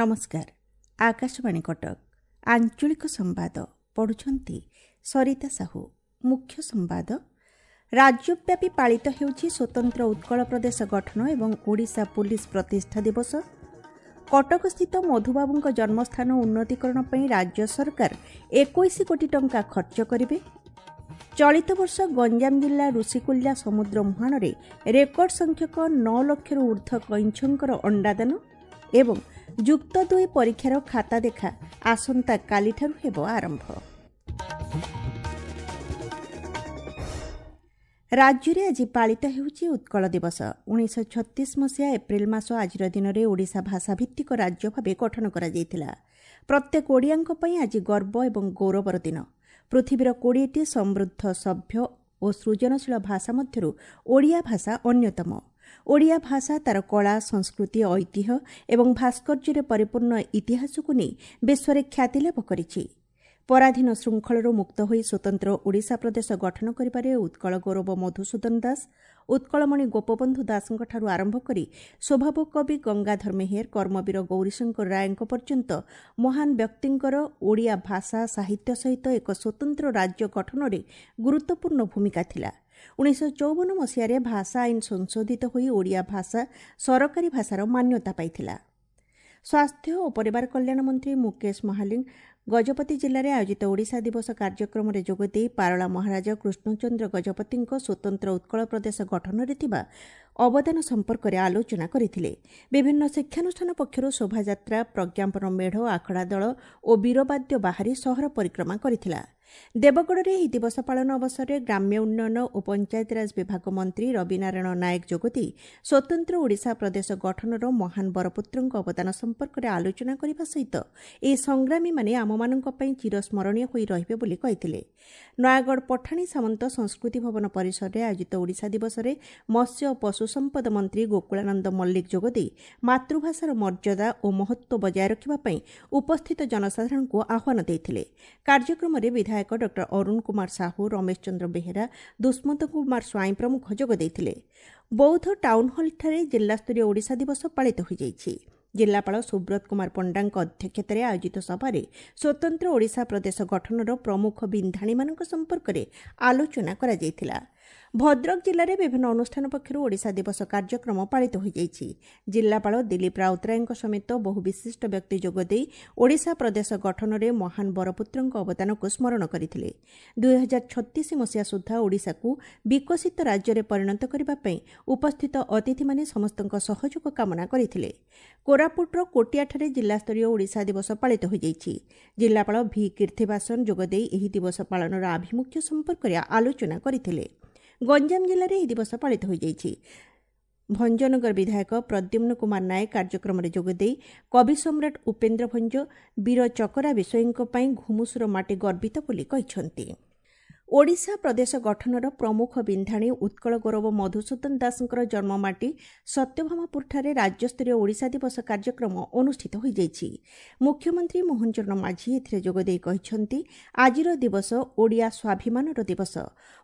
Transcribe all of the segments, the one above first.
ନମସ୍କାର, ଆକାଶବାଣୀ କଟକ, ଆଞ୍ଚଳିକ ସମ୍ବାଦ ପଢ଼ୁଛନ୍ତି ସରିତା ସାହୁ। ମୁଖ୍ୟ ସମ୍ବାଦ। ରାଜ୍ୟବ୍ୟାପୀ ପାଳିତ ହେଉଛି ସ୍ୱତନ୍ତ୍ର ଉତ୍କଳ ପ୍ରଦେଶ ଗଠନ ଏବଂ ଓଡ଼ିଶା ପୁଲିସ ପ୍ରତିଷ୍ଠା ଦିବସ। କଟକସ୍ଥିତ ମଧୁବାବୁଙ୍କ ଜନ୍ମସ୍ଥାନ ଉନ୍ନତିକରଣ ପାଇଁ ରାଜ୍ୟ ସରକାର 21 କୋଟି ଟଙ୍କା ଖର୍ଚ୍ଚ କରିବେ। ଚଳିତ ବର୍ଷ ଗଞ୍ଜାମ ଜିଲ୍ଲା ଋଷିକୁଲ୍ୟା ସମୁଦ୍ର ମୁହାଣରେ ରେକର୍ଡ ସଂଖ୍ୟକ 9 ଲକ୍ଷରୁ ଊର୍ଦ୍ଧ୍ୱ କଇଁଛଙ୍କର ଅଣ୍ଡାଦାନ ଏବଂ ଯୁକ୍ତ 2 ପରୀକ୍ଷାର ଖାତା ଦେଖା ଆସନ୍ତାକାଲିଠାରୁ ହେବ ଆରମ୍ଭ। ରାଜ୍ୟରେ ଆଜି ପାଳିତ ହେଉଛି ଉତ୍କଳ ଦିବସ। 1936 ମସିହା ଏପ୍ରିଲ ମାସ ଆଜିର ଦିନରେ ଓଡ଼ିଶା ଭାଷାଭିତ୍ତିକ ରାଜ୍ୟ ଭାବେ ଗଠନ କରାଯାଇଥିଲା। ପ୍ରତ୍ୟେକ ଓଡ଼ିଆଙ୍କ ପାଇଁ ଆଜି ଗର୍ବ ଏବଂ ଗୌରବର ଦିନ। ପୃଥିବୀର 20ଟି ସମୃଦ୍ଧ, ସଭ୍ୟ ଓ ସୃଜନଶୀଳ ଭାଷା ମଧ୍ୟରୁ ଓଡ଼ିଆ ଭାଷା ଅନ୍ୟତମ। ଓଡ଼ିଆ ଭାଷା ତା'ର କଳା, ସଂସ୍କୃତି, ଐତିହ୍ୟ ଏବଂ ଭାସ୍କର୍ଯ୍ୟରେ ପରିପୂର୍ଣ୍ଣ ଇତିହାସକୁ ନେଇ ବିଶ୍ୱରେ ଖ୍ୟାତି ଲାଭ କରିଛି। ପରାଧୀନ ଶୃଙ୍ଖଳରୁ ମୁକ୍ତ ହୋଇ ସ୍ୱତନ୍ତ୍ର ଓଡ଼ିଶା ପ୍ରଦେଶ ଗଠନ କରିବାରେ ଉତ୍କଳ ଗୌରବ ମଧୁସୂଦନ ଦାସ, ଉତ୍କଳମଣି ଗୋପବନ୍ଧୁ ଦାସଙ୍କଠାରୁ ଆରମ୍ଭ କରି ସ୍ୱଭାବ କବି ଗଙ୍ଗାଧର ମେହେର, କର୍ମବୀର ଗୌରୀଶଙ୍କର ରାୟଙ୍କ ପର୍ଯ୍ୟନ୍ତ ମହାନ ବ୍ୟକ୍ତିଙ୍କର ଓଡ଼ିଆ ଭାଷା ସାହିତ୍ୟ ସହିତ ଏକ ସ୍ୱତନ୍ତ୍ର ରାଜ୍ୟ ଗଠନରେ ଗୁରୁତ୍ୱପୂର୍ଣ୍ଣ ଭୂମିକା ଥିଲା। 1954 ମସିହାରେ ଭାଷା ଆଇନ ସଂଶୋଧିତ ହୋଇ ଓଡ଼ିଆ ଭାଷା ସରକାରୀ ଭାଷାର ମାନ୍ୟତା ପାଇଥିଲା। ସ୍ୱାସ୍ଥ୍ୟ ଓ ପରିବାର କଲ୍ୟାଣ ମନ୍ତ୍ରୀ ମୁକେଶ ମହାଲିଙ୍ଗ ଗଜପତି ଜିଲ୍ଲାରେ ଆୟୋଜିତ ଓଡ଼ିଶା ଦିବସ କାର୍ଯ୍ୟକ୍ରମରେ ଯୋଗଦେଇ ପାରଳା ମହାରାଜା କୃଷ୍ଣଚନ୍ଦ୍ର ଗଜପତିଙ୍କ ସ୍ୱତନ୍ତ୍ର ଉତ୍କଳ ପ୍ରଦେଶ ଗଠନରେ ଥିବା ଅବଦାନ ସମ୍ପର୍କରେ ଆଲୋଚନା କରିଥିଲେ। ବିଭିନ୍ନ ଶିକ୍ଷାନୁଷ୍ଠାନ ପକ୍ଷରୁ ଶୋଭାଯାତ୍ରା, ପ୍ରଜ୍ଞାପନ ମେଢ଼, ଆଖଡ଼ା ଦଳ ଓ ବୀରବାଦ୍ୟ ବାହାରି ସହର ପରିକ୍ରମା କରିଥିଲା। ଦେବଗଡ଼ରେ ଏହି ଦିବସ ପାଳନ ଅବସରରେ ଗ୍ରାମ୍ୟ ଉନ୍ନୟନ ଓ ପଞ୍ଚାୟତିରାଜ ବିଭାଗ ମନ୍ତ୍ରୀ ରବିନାରାୟଣ ନାୟକ ଯୋଗଦେଇ ସ୍ୱତନ୍ତ୍ର ଓଡ଼ିଶା ପ୍ରଦେଶ ଗଠନର ମହାନ ବରପୁତ୍ରଙ୍କ ଅବଦାନ ସମ୍ପର୍କରେ ଆଲୋଚନା କରିବା ସହିତ ଏହି ସଂଗ୍ରାମୀମାନେ ଆମମାନଙ୍କ ପାଇଁ ଚିରସ୍ମରଣୀୟ ହୋଇ ରହିବେ ବୋଲି କହିଥିଲେ। ନୟାଗଡ଼ ପଠାଣି ସାମନ୍ତ ସଂସ୍କୃତି ଭବନ ପରିସରରେ ଆୟୋଜିତ ଓଡ଼ିଶା ଦିବସରେ ମତ୍ସ୍ୟ ଓ ପଶୁ ସମ୍ପଦ ମନ୍ତ୍ରୀ ଗୋକୁଳାନନ୍ଦ ମଲ୍ଲିକ ଯୋଗଦେଇ ମାତୃଭାଷାର ମର୍ଯ୍ୟାଦା ଓ ମହତ୍ତ୍ୱ ବଜାୟ ରଖିବା ପାଇଁ ଉପସ୍ଥିତ ଜନସାଧାରଣଙ୍କୁ ଆହ୍ୱାନ ଦେଇଥିଲେ। କାର୍ଯ୍ୟକ୍ରମରେ ବିଧାୟକ ଡକ୍ଟର ଅରୁଣ କୁମାର ସାହୁ, ରମେଶ ଚନ୍ଦ୍ର ବେହେରା, ଦୁଷ୍ମନ୍ତ କୁମାର ସ୍ୱାଇଁ ପ୍ରମୁଖ ଯୋଗ ଦେଇଥିଲେ। ବୌଦ୍ଧ ଟାଉନହଲଠାରେ ଜିଲ୍ଲାସ୍ତରୀୟ ଓଡ଼ିଶା ଦିବସ ପାଳିତ ହୋଇଯାଇଛି। ଜିଲ୍ଲାପାଳ ସୁବ୍ରତ କୁମାର ପଣ୍ଡାଙ୍କ ଅଧ୍ୟକ୍ଷତାରେ ଆୟୋଜିତ ସଭାରେ ସ୍ୱତନ୍ତ୍ର ଓଡ଼ିଶା ପ୍ରଦେଶ ଗଠନର ପ୍ରମୁଖ ବିନ୍ଧାଣୀମାନଙ୍କ ସମ୍ପର୍କରେ ଆଲୋଚନା କରାଯାଇଥିଲା। ଭଦ୍ରକ ଜିଲ୍ଲାରେ ବିଭିନ୍ନ ଅନୁଷ୍ଠାନ ପକ୍ଷରୁ ଓଡ଼ିଶା ଦିବସ କାର୍ଯ୍ୟକ୍ରମ ପାଳିତ ହୋଇଯାଇଛି। ଜିଲ୍ଲାପାଳ ଦିଲ୍ଲୀପ ରାଉତରାୟଙ୍କ ସମେତ ବହୁ ବିଶିଷ୍ଟ ବ୍ୟକ୍ତି ଯୋଗଦେଇ ଓଡ଼ିଶା ପ୍ରଦେଶ ଗଠନରେ ମହାନ ବରପୁତ୍ରଙ୍କ ଅବଦାନକୁ ସ୍ମରଣ କରିଥିଲେ। 2036 ମସିହା ସୁଦ୍ଧା ଓଡ଼ିଶାକୁ ବିକଶିତ ରାଜ୍ୟରେ ପରିଣତ କରିବା ପାଇଁ ଉପସ୍ଥିତ ଅତିଥିମାନେ ସମସ୍ତଙ୍କ ସହଯୋଗ କାମନା କରିଥିଲେ। କୋରାପୁଟର କୋଟିଆଠାରେ ଜିଲ୍ଲାସ୍ତରୀୟ ଓଡ଼ିଶା ଦିବସ ପାଳିତ ହୋଇଯାଇଛି। ଜିଲ୍ଲାପାଳ ଭି କୀର୍ତ୍ତିବାସନ ଯୋଗଦେଇ ଏହି ଦିବସ ପାଳନର ଆଭିମୁଖ୍ୟ ସମ୍ପର୍କରେ ଆଲୋଚନା କରିଥିଲେ। ଗଞ୍ଜାମ ଜିଲ୍ଲାରେ ଏହି ଦିବସ ପାଳିତ ହୋଇଯାଇଛି। ଭଞ୍ଜନଗର ବିଧାୟକ ପ୍ରଦ୍ୟୁମ୍ନ କୁମାର ନାୟକ କାର୍ଯ୍ୟକ୍ରମରେ ଯୋଗଦେଇ କବି ସମ୍ରାଟ ଉପେନ୍ଦ୍ର ଭଞ୍ଜ, ବୀର ଚକରା ବିଷୋୟୀଙ୍କ ପାଇଁ ଘୁମୁସୁର ମାଟି ଗର୍ବିତ ବୋଲି କହିଛନ୍ତି। ଓଡ଼ିଶା ପ୍ରଦେଶ ଗଠନର ପ୍ରମୁଖ ବିନ୍ଧାଣୀ ଉତ୍କଳ ଗୌରବ ମଧୁସୂଦନ ଦାସଙ୍କର ଜନ୍ମମାଟି ସତ୍ୟଭାମାପୁରଠାରେ ରାଜ୍ୟସ୍ତରୀୟ ଓଡ଼ିଶା ଦିବସ କାର୍ଯ୍ୟକ୍ରମ ଅନୁଷ୍ଠିତ ହୋଇଯାଇଛି। ମୁଖ୍ୟମନ୍ତ୍ରୀ ମୋହନ ଚରଣ ମାଝୀ ଏଥିରେ ଯୋଗଦେଇ କହିଛନ୍ତି, ଆଜିର ଦିବସ ଓଡ଼ିଆ ସ୍ୱାଭିମାନର ଦିବସ।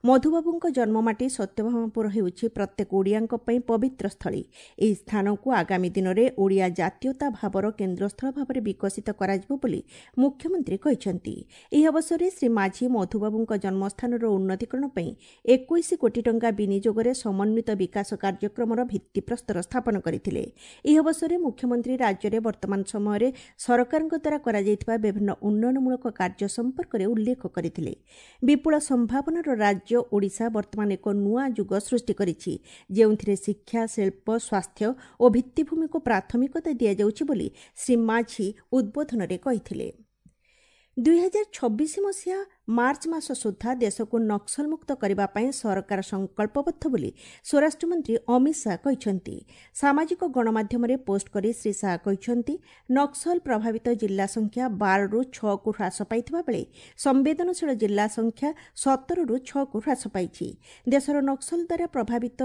ମଧୁବାବୁଙ୍କ ଜନ୍ମମାଟି ସତ୍ୟଭାମାପୁର ହେଉଛି ପ୍ରତ୍ୟେକ ଓଡ଼ିଆଙ୍କ ପାଇଁ ପବିତ୍ର ସ୍ଥଳୀ। ଏହି ସ୍ଥାନକୁ ଆଗାମୀ ଦିନରେ ଓଡ଼ିଆ ଜାତୀୟତା ଭାବର କେନ୍ଦ୍ରସ୍ଥଳ ଭାବରେ ବିକଶିତ କରାଯିବ ବୋଲି ମୁଖ୍ୟମନ୍ତ୍ରୀ କହିଛନ୍ତି। ଏହି ଅବସରରେ ଶ୍ରୀ ମାଝୀ ମଧୁବାବୁଙ୍କ ଜନ୍ମ ସ୍ଥାନର ଉନ୍ନତିକରଣ ପାଇଁ 21 କୋଟି ଟଙ୍କା ବିନିଯୋଗରେ ସମନ୍ୱିତ ବିକାଶ କାର୍ଯ୍ୟକ୍ରମର ଭିତ୍ତିପ୍ରସ୍ତର ସ୍ଥାପନ କରିଥିଲେ। ଏହି ଅବସରରେ ମୁଖ୍ୟମନ୍ତ୍ରୀ ରାଜ୍ୟରେ ବର୍ତ୍ତମାନ ସମୟରେ ସରକାରଙ୍କ ଦ୍ୱାରା କରାଯାଇଥିବା ବିଭିନ୍ନ ଉନ୍ନୟନମୂଳକ କାର୍ଯ୍ୟ ସମ୍ପର୍କରେ ଉଲ୍ଲେଖ କରିଥିଲେ। ବିପୁଳ ସମ୍ଭାବନାର ରାଜ୍ୟ ଓଡ଼ିଶା ବର୍ତ୍ତମାନ ଏକ ନୂଆ ଯୁଗ ସୃଷ୍ଟି କରିଛି, ଯେଉଁଥିରେ ଶିକ୍ଷା, ଶିଳ୍ପ, ସ୍ୱାସ୍ଥ୍ୟ ଓ ଭିତ୍ତିଭୂମିକୁ ପ୍ରାଥମିକତା ଦିଆଯାଉଛି ବୋଲି ଶ୍ରୀ ମାଝୀ ଉଦ୍ବୋଧନରେ କହିଥିଲେ। 2026 ମସିହା ମାର୍ଚ୍ଚ ମାସ ସୁଦ୍ଧା ଦେଶକୁ ନକ୍ସଲମୁକ୍ତ କରିବା ପାଇଁ ସରକାର ସଂକଳ୍ପବଦ୍ଧ ବୋଲି ସ୍ୱରାଷ୍ଟ୍ରମନ୍ତ୍ରୀ ଅମିତ ଶାହା କହିଛନ୍ତି। ସାମାଜିକ ଗଣମାଧ୍ୟମରେ ପୋଷ୍ଟ କରି ଶ୍ରୀ ଶାହା କହିଛନ୍ତି, ନକ୍ସଲ ପ୍ରଭାବିତ ଜିଲ୍ଲା ସଂଖ୍ୟା 12ରୁ 6କୁ ହ୍ରାସ ପାଇଥିବା ବେଳେ ସମ୍ବେଦନଶୀଳ ଜିଲ୍ଲା ସଂଖ୍ୟା 17ରୁ 6କୁ ହ୍ରାସ ପାଇଛି। ଦେଶର ନକ୍ସଲ ଦ୍ୱାରା ପ୍ରଭାବିତ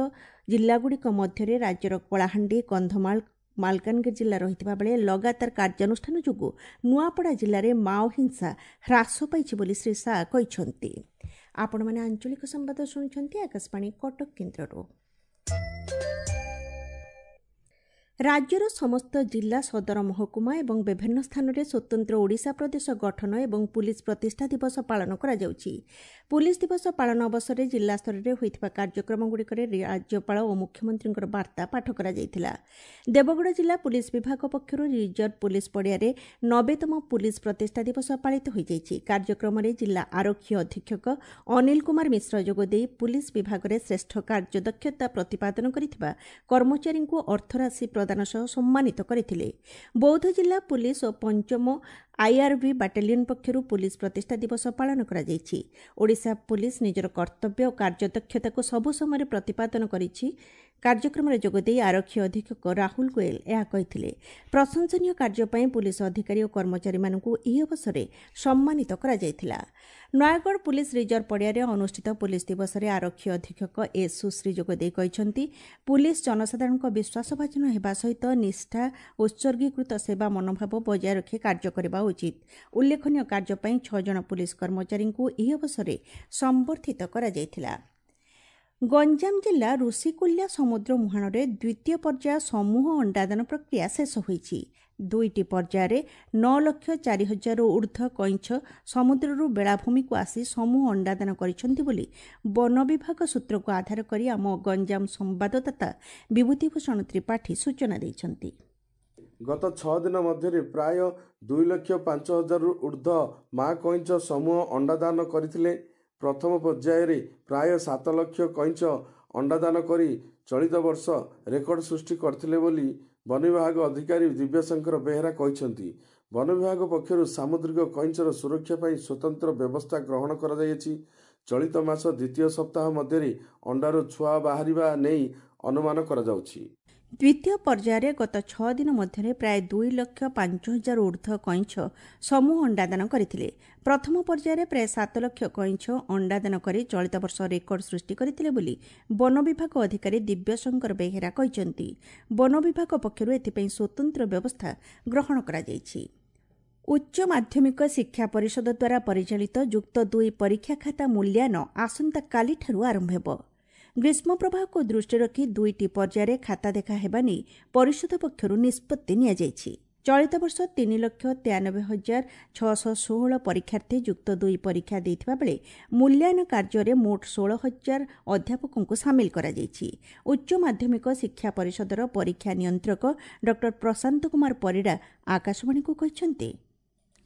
ଜିଲ୍ଲାଗୁଡ଼ିକ ମଧ୍ୟରେ ରାଜ୍ୟର କଳାହାଣ୍ଡି, କନ୍ଧମାଳ, ମାଲକାନଗିରି ଜିଲ୍ଲା ରହିଥିବା ବେଳେ ଲଗାତାର କାର୍ଯ୍ୟାନୁଷ୍ଠାନ ଯୋଗୁଁ ନୂଆପଡ଼ା ଜିଲ୍ଲାରେ ମାଓ ହିଂସା ହ୍ରାସ ପାଇଛି ବୋଲି ଶ୍ରୀ ଶାହା କହିଛନ୍ତି। ଆପଣମାନେ ଆଞ୍ଚଳିକ ସମ୍ବାଦ ଶୁଣୁଛନ୍ତି ଆକାଶବାଣୀ କଟକ କେନ୍ଦ୍ରରୁ। ରାଜ୍ୟର ସମସ୍ତ ଜିଲ୍ଲା ସଦର ମହକୁମା ଏବଂ ବିଭିନ୍ନ ସ୍ଥାନରେ ସ୍ୱତନ୍ତ୍ର ଓଡ଼ିଶା ପ୍ରଦେଶ ଗଠନ ଏବଂ ପୁଲିସ୍ ପ୍ରତିଷ୍ଠା ଦିବସ ପାଳନ କରାଯାଉଛି। ପୁଲିସ୍ ଦିବସ ପାଳନ ଅବସରରେ ଜିଲ୍ଲାସ୍ତରରେ ହୋଇଥିବା କାର୍ଯ୍ୟକ୍ରମଗୁଡ଼ିକରେ ରାଜ୍ୟପାଳ ଓ ମୁଖ୍ୟମନ୍ତ୍ରୀଙ୍କର ବାର୍ତ୍ତା ପାଠ କରାଯାଇଥିଲା। ଦେବଗଡ଼ ଜିଲ୍ଲା ପୁଲିସ୍ ବିଭାଗ ପକ୍ଷରୁ ରିଜର୍ଭ ପୁଲିସ୍ ପଡ଼ିଆରେ 90ତମ ପୁଲିସ୍ ପ୍ରତିଷ୍ଠା ଦିବସ ପାଳିତ ହୋଇଯାଇଛି। କାର୍ଯ୍ୟକ୍ରମରେ ଜିଲ୍ଲା ଆରକ୍ଷୀ ଅଧୀକ୍ଷକ ଅନିଲ କୁମାର ମିଶ୍ର ଯୋଗଦେଇ ପୁଲିସ୍ ବିଭାଗରେ ଶ୍ରେଷ୍ଠ କାର୍ଯ୍ୟଦକ୍ଷତା ପ୍ରତିପାଦନ କରିଥିବା କର୍ମଚାରୀଙ୍କୁ ଅର୍ଥରାଶି ପ୍ରଦାନ ସହ ସମ୍ମାନିତ କରିଥିଲେ। ବୌଦ୍ଧ ଜିଲ୍ଲା ପୁଲିସ୍ ଓ ପଞ୍ଚମ ଆଇଆର୍ବି ବାଟାଲିୟନ ପକ୍ଷରୁ ପୁଲିସ୍ ପ୍ରତିଷ୍ଠା ଦିବସ ପାଳନ କରାଯାଇଛି। ଓଡ଼ିଶା ପୁଲିସ୍ ନିଜର କର୍ତ୍ତବ୍ୟ ଓ କାର୍ଯ୍ୟଦକ୍ଷତାକୁ ସବୁ ସମୟରେ ପ୍ରତିପାଦନ କରିଛି। କାର୍ଯ୍ୟକ୍ରମରେ ଯୋଗଦେଇ ଆରକ୍ଷୀ ଅଧୀକ୍ଷକ ରାହୁଲ ଗୋଏଲ ଏହା କହିଥିଲେ। ପ୍ରଶଂସନୀୟ କାର୍ଯ୍ୟ ପାଇଁ ପୁଲିସ୍ ଅଧିକାରୀ ଓ କର୍ମଚାରୀମାନଙ୍କୁ ଏହି ଅବସରରେ ସମ୍ମାନିତ କରାଯାଇଥିଲା। ନୟାଗଡ଼ ପୁଲିସ୍ ରିଜର୍ଭ ପଡ଼ିଆରେ ଅନୁଷ୍ଠିତ ପୁଲିସ୍ ଦିବସରେ ଆରକ୍ଷୀ ଅଧୀକ୍ଷକ ଏସ୍ ସୁଶ୍ରୀ ଯୋଗଦେଇ କହିଛନ୍ତି, ପୁଲିସ୍ ଜନସାଧାରଣଙ୍କ ବିଶ୍ୱାସଭାଜନ ହେବା ସହିତ ନିଷ୍ଠା, ଉତ୍ସର୍ଗୀକୃତ ସେବା ମନୋଭାବ ବଜାୟ ରଖି କାର୍ଯ୍ୟ କରିବା ଉଚିତ। ଉଲ୍ଲେଖନୀୟ କାର୍ଯ୍ୟ ପାଇଁ 6 ଜଣ ପୁଲିସ୍ କର୍ମଚାରୀଙ୍କୁ ଏହି ଅବସରରେ ସମ୍ବର୍ଦ୍ଧିତ କରାଯାଇଥିଲା। ଗଞ୍ଜାମ ଜିଲ୍ଲା ଋଷିକୁଲ୍ୟା ସମୁଦ୍ର ମୁହାଣରେ ଦ୍ୱିତୀୟ ପର୍ଯ୍ୟାୟ ସମୂହ ଅଣ୍ଡାଦାନ ପ୍ରକ୍ରିୟା ଶେଷ ହୋଇଛି। 2ଟି ପର୍ଯ୍ୟାୟରେ 9,04,000ରୁ ଉର୍ଦ୍ଧ୍ୱ କଇଁଛ ସମୁଦ୍ରରୁ ବେଳାଭୂମିକୁ ଆସି ସମୂହ ଅଣ୍ଡାଦାନ କରିଛନ୍ତି ବୋଲି ବନ ବିଭାଗ ସୂତ୍ରକୁ ଆଧାର କରି ଆମ ଗଞ୍ଜାମ ସମ୍ବାଦଦାତା ବିଭୂତିଭୂଷଣ ତ୍ରିପାଠୀ ସୂଚନା ଦେଇଛନ୍ତି। ଗତ 6 ଦିନ ମଧ୍ୟରେ ପ୍ରାୟ 2,05,000ରୁ ଉର୍ଦ୍ଧ୍ୱ ମା କଇଁଛ ସମୂହ ଅଣ୍ଡାଦାନ କରିଥିଲେ। ପ୍ରଥମ ପର୍ଯ୍ୟାୟରେ ପ୍ରାୟ 7 ଲକ୍ଷ କଇଁଛ ଅଣ୍ଡାଦାନ କରି ଚଳିତ ବର୍ଷ ରେକର୍ଡ ସୃଷ୍ଟି କରିଥିଲେ ବୋଲି ବନ ବିଭାଗ ଅଧିକାରୀ ଦିବ୍ୟଶଙ୍କର ବେହେରା କହିଛନ୍ତି। ବନ ବିଭାଗ ପକ୍ଷରୁ ସାମୁଦ୍ରିକ କଇଁଛର ସୁରକ୍ଷା ପାଇଁ ସ୍ୱତନ୍ତ୍ର ବ୍ୟବସ୍ଥା ଗ୍ରହଣ କରାଯାଇଅଛି। ଚଳିତ ମାସ ଦ୍ୱିତୀୟ ସପ୍ତାହ ମଧ୍ୟରେ ଅଣ୍ଡାରୁ ଛୁଆ ବାହାରିବା ନେଇ ଅନୁମାନ କରାଯାଉଛି। ଦ୍ୱିତୀୟ ପର୍ଯ୍ୟାୟରେ ଗତ 6 ଦିନ ମଧ୍ୟରେ ପ୍ରାୟ 2,05,000 ଉର୍ଦ୍ଧ୍ୱ କଇଁଛ ସମୂହ ଅଣ୍ଡାଦାନ କରିଥିଲେ। ପ୍ରଥମ ପର୍ଯ୍ୟାୟରେ ପ୍ରାୟ 7 ଲକ୍ଷ କଇଁଛ ଅଣ୍ଡାଦାନ କରି ଚଳିତ ବର୍ଷ ରେକର୍ଡ ସୃଷ୍ଟି କରିଥିଲେ ବୋଲି ବନ ବିଭାଗ ଅଧିକାରୀ ଦିବ୍ୟଶଙ୍କର ବେହେରା କହିଛନ୍ତି। ବନ ବିଭାଗ ପକ୍ଷରୁ ଏଥିପାଇଁ ସ୍ୱତନ୍ତ୍ର ବ୍ୟବସ୍ଥା ଗ୍ରହଣ କରାଯାଇଛି। ଉଚ୍ଚ ମାଧ୍ୟମିକ ଶିକ୍ଷା ପରିଷଦ ଦ୍ୱାରା ପରିଚାଳିତ ଯୁକ୍ତ 2 ପରୀକ୍ଷା ଖାତା ମୂଲ୍ୟାୟନ ଆସନ୍ତାକାଲିଠାରୁ ଆରମ୍ଭ ହେବ। ଗ୍ରୀଷ୍ମ ପ୍ରବାହକୁ ଦୃଷ୍ଟିରେ ରଖି 2ଟି ପର୍ଯ୍ୟାୟରେ ଖାତା ଦେଖା ହେବା ନେଇ ପରିଷଦ ପକ୍ଷରୁ ନିଷ୍ପତ୍ତି ନିଆଯାଇଛି। ଚଳିତ ବର୍ଷ 3,93,616 ପରୀକ୍ଷାର୍ଥୀ ଯୁକ୍ତ 2 ପରୀକ୍ଷା ଦେଇଥିବା ବେଳେ ମୂଲ୍ୟାୟନ କାର୍ଯ୍ୟରେ ମୋଟ 16,000 ଅଧ୍ୟାପକଙ୍କୁ ସାମିଲ କରାଯାଇଛି। ଉଚ୍ଚ ମାଧ୍ୟମିକ ଶିକ୍ଷା ପରିଷଦର ପରୀକ୍ଷା ନିୟନ୍ତ୍ରକ ଡକ୍ଟର ପ୍ରଶାନ୍ତ କୁମାର ପରିଡ଼ା ଆକାଶବାଣୀକୁ କହିଛନ୍ତି,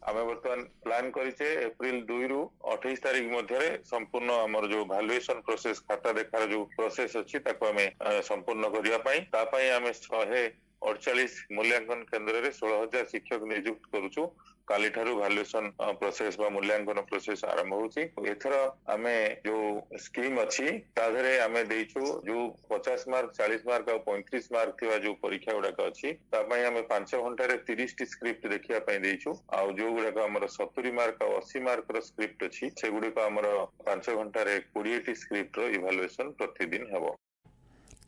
ଆମେ ବର୍ତ୍ତମାନ ପ୍ଲାନ୍ କରିଛେ ଏପ୍ରିଲ 2ରୁ 28 ତାରିଖ ମଧ୍ୟରେ ସମ୍ପୂର୍ଣ୍ଣ ଆମର ଯୋଉ ଭାଲୁଏସନ ପ୍ରୋସେସ, ଖାତା ଦେଖାର ଯୋଉ ପ୍ରୋସେସ ଅଛି ତାକୁ ଆମେ ସମ୍ପୂର୍ଣ୍ଣ କରିବା ପାଇଁ। ତା ପାଇଁ ଆମେ 148 ମୂଲ୍ୟାଙ୍କନ କେନ୍ଦ୍ରରେ 16,000 ଶିକ୍ଷକ ନିଯୁକ୍ତ କରୁଛୁ। କାଲିଠାରୁ ଭାଲୁଏସନ ପ୍ରୋସେସ ବା ମୂଲ୍ୟାଙ୍କନ ପ୍ରୋସେସ ଆରମ୍ଭ ହଉଛି। ଏଥର ଆମେ ଯୋଉ ସ୍କିମ୍ ଅଛି ତା ଦେହରେ ଆମେ ଦେଇଛୁ ଯୋଉ 50 ମାର୍କ, 40 ମାର୍କ ଆଉ 35 ମାର୍କ ଥିବା ଯୋଉ ପରୀକ୍ଷା ଗୁଡାକ ଅଛି ତା ପାଇଁ ଆମେ 5 ଘଣ୍ଟାରେ 30ଟି ସ୍କ୍ରିପ୍ଟ ଦେଖିବା ପାଇଁ ଦେଇଛୁ। ଆଉ ଯୋଉ ଗୁଡାକ ଆମର 70 ମାର୍କ ଆଉ 80 ମାର୍କର ସ୍କ୍ରିପ୍ଟ ଅଛି ସେଗୁଡିକ ଆମର 5 ଘଣ୍ଟାରେ 20ଟି ସ୍କ୍ରିପ୍ଟର ଇଭାଲୁଏସନ ପ୍ରତିଦିନ ହେବ।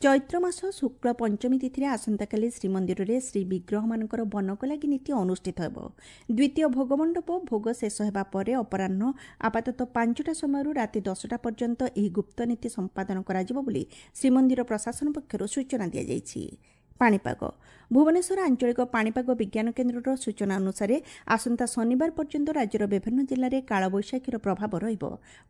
ଚୈତ୍ର ମାସ ଶୁକ୍ଳ ପଞ୍ଚମୀ ତିଥିରେ ଆସନ୍ତାକାଲି ଶ୍ରୀମନ୍ଦିରରେ ଶ୍ରୀବିଗ୍ରହମାନଙ୍କର ବନକଲାଗି ନୀତି ଅନୁଷ୍ଠିତ ହେବ। ଦ୍ୱିତୀୟ ଭୋଗମଣ୍ଡପ ଭୋଗ ଶେଷ ହେବା ପରେ ଅପରାହ୍ନ ଆପାତତଃ 5ଟା ସମୟରୁ ରାତି 10ଟା ପର୍ଯ୍ୟନ୍ତ ଏହି ଗୁପ୍ତ ନୀତି ସମ୍ପାଦନ କରାଯିବ ବୋଲି ଶ୍ରୀମନ୍ଦିର ପ୍ରଶାସନ ପକ୍ଷରୁ ସୂଚନା ଦିଆଯାଇଛି। ପାଣିପାଗ। ଭୁବନେଶ୍ୱର ଆଞ୍ଚଳିକ ପାଣିପାଗ ବିଜ୍ଞାନ କେନ୍ଦ୍ରର ସୂଚନା ଅନୁସାରେ ଆସନ୍ତା ଶନିବାର ପର୍ଯ୍ୟନ୍ତ ରାଜ୍ୟର ବିଭିନ୍ନ ଜିଲ୍ଲାରେ କାଳବୈଶାଖୀର ପ୍ରଭାବ ରହିବ।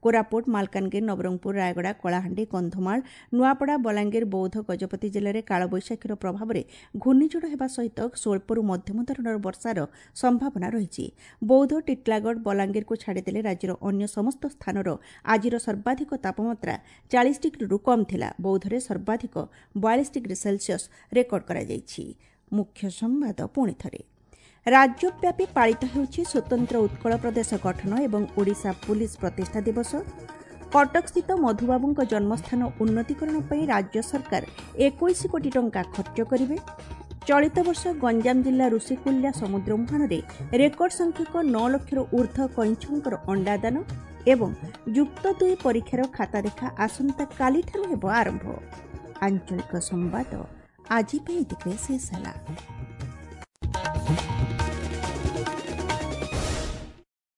କୋରାପୁଟ, ମାଲକାନଗିରି, ନବରଙ୍ଗପୁର, ରାୟଗଡ଼ା, କଳାହାଣ୍ଡି, କନ୍ଧମାଳ, ନୂଆପଡ଼ା, ବଲାଙ୍ଗୀର, ବୌଦ୍ଧ, ଗଜପତି ଜିଲ୍ଲାରେ କାଳବୈଶାଖୀର ପ୍ରଭାବରେ ଘୂର୍ଣ୍ଣିଝଡ଼ ହେବା ସହିତ ସ୍ୱଳ୍ପରୁ ମଧ୍ୟମ ଧରଣର ବର୍ଷାର ସମ୍ଭାବନା ରହିଛି। ବୌଦ୍ଧ, ଟିଟିଲାଗଡ଼, ବଲାଙ୍ଗୀରକୁ ଛାଡ଼ିଦେଲେ ରାଜ୍ୟର ଅନ୍ୟ ସମସ୍ତ ସ୍ଥାନର ଆଜିର ସର୍ବାଧିକ ତାପମାତ୍ରା 40 ଡିଗ୍ରୀରୁ କମ୍ ଥିଲା। ବୌଦ୍ଧରେ ସର୍ବାଧିକ 42 ଡିଗ୍ରୀ ସେଲସିୟସ୍ ରେକର୍ଡ କରାଯାଇଛି। ମୁଖ୍ୟ ସମ୍ବାଦ ପୁଣି ଥରେ। ରାଜ୍ୟବ୍ୟାପୀ ପାଳିତ ହେଉଛି ସ୍ୱତନ୍ତ୍ର ଉତ୍କଳ ପ୍ରଦେଶ ଗଠନ ଏବଂ ଓଡ଼ିଶା ପୁଲିସ୍ ପ୍ରତିଷ୍ଠା ଦିବସ। କଟକସ୍ଥିତ ମଧୁବାବୁଙ୍କ ଜନ୍ମସ୍ଥାନ ଉନ୍ନତିକରଣ ପାଇଁ ରାଜ୍ୟ ସରକାର 21 କୋଟି ଟଙ୍କା ଖର୍ଚ୍ଚ କରିବେ। ଚଳିତ ବର୍ଷ ଗଞ୍ଜାମ ଜିଲ୍ଲା ଋଷିକୁଲ୍ୟା ସମୁଦ୍ର ମୁହାଣରେ ରେକର୍ଡ ସଂଖ୍ୟକ 9 ଲକ୍ଷରୁ ଉର୍ଦ୍ଧ୍ୱ କଇଁଛଙ୍କର ଅଣ୍ଡାଦାନ ଏବଂ ଯୁକ୍ତ 2 ପରୀକ୍ଷାର ଖାତା ଦେଖା ଆସନ୍ତାକାଲିଠାରୁ ହେବ ଆରମ୍ଭ। ଆଞ୍ଚଳିକ ସମ୍ବାଦ ଆଜି ପାଇଁ ଏତିକିରେ ଶେଷ ହେଲା।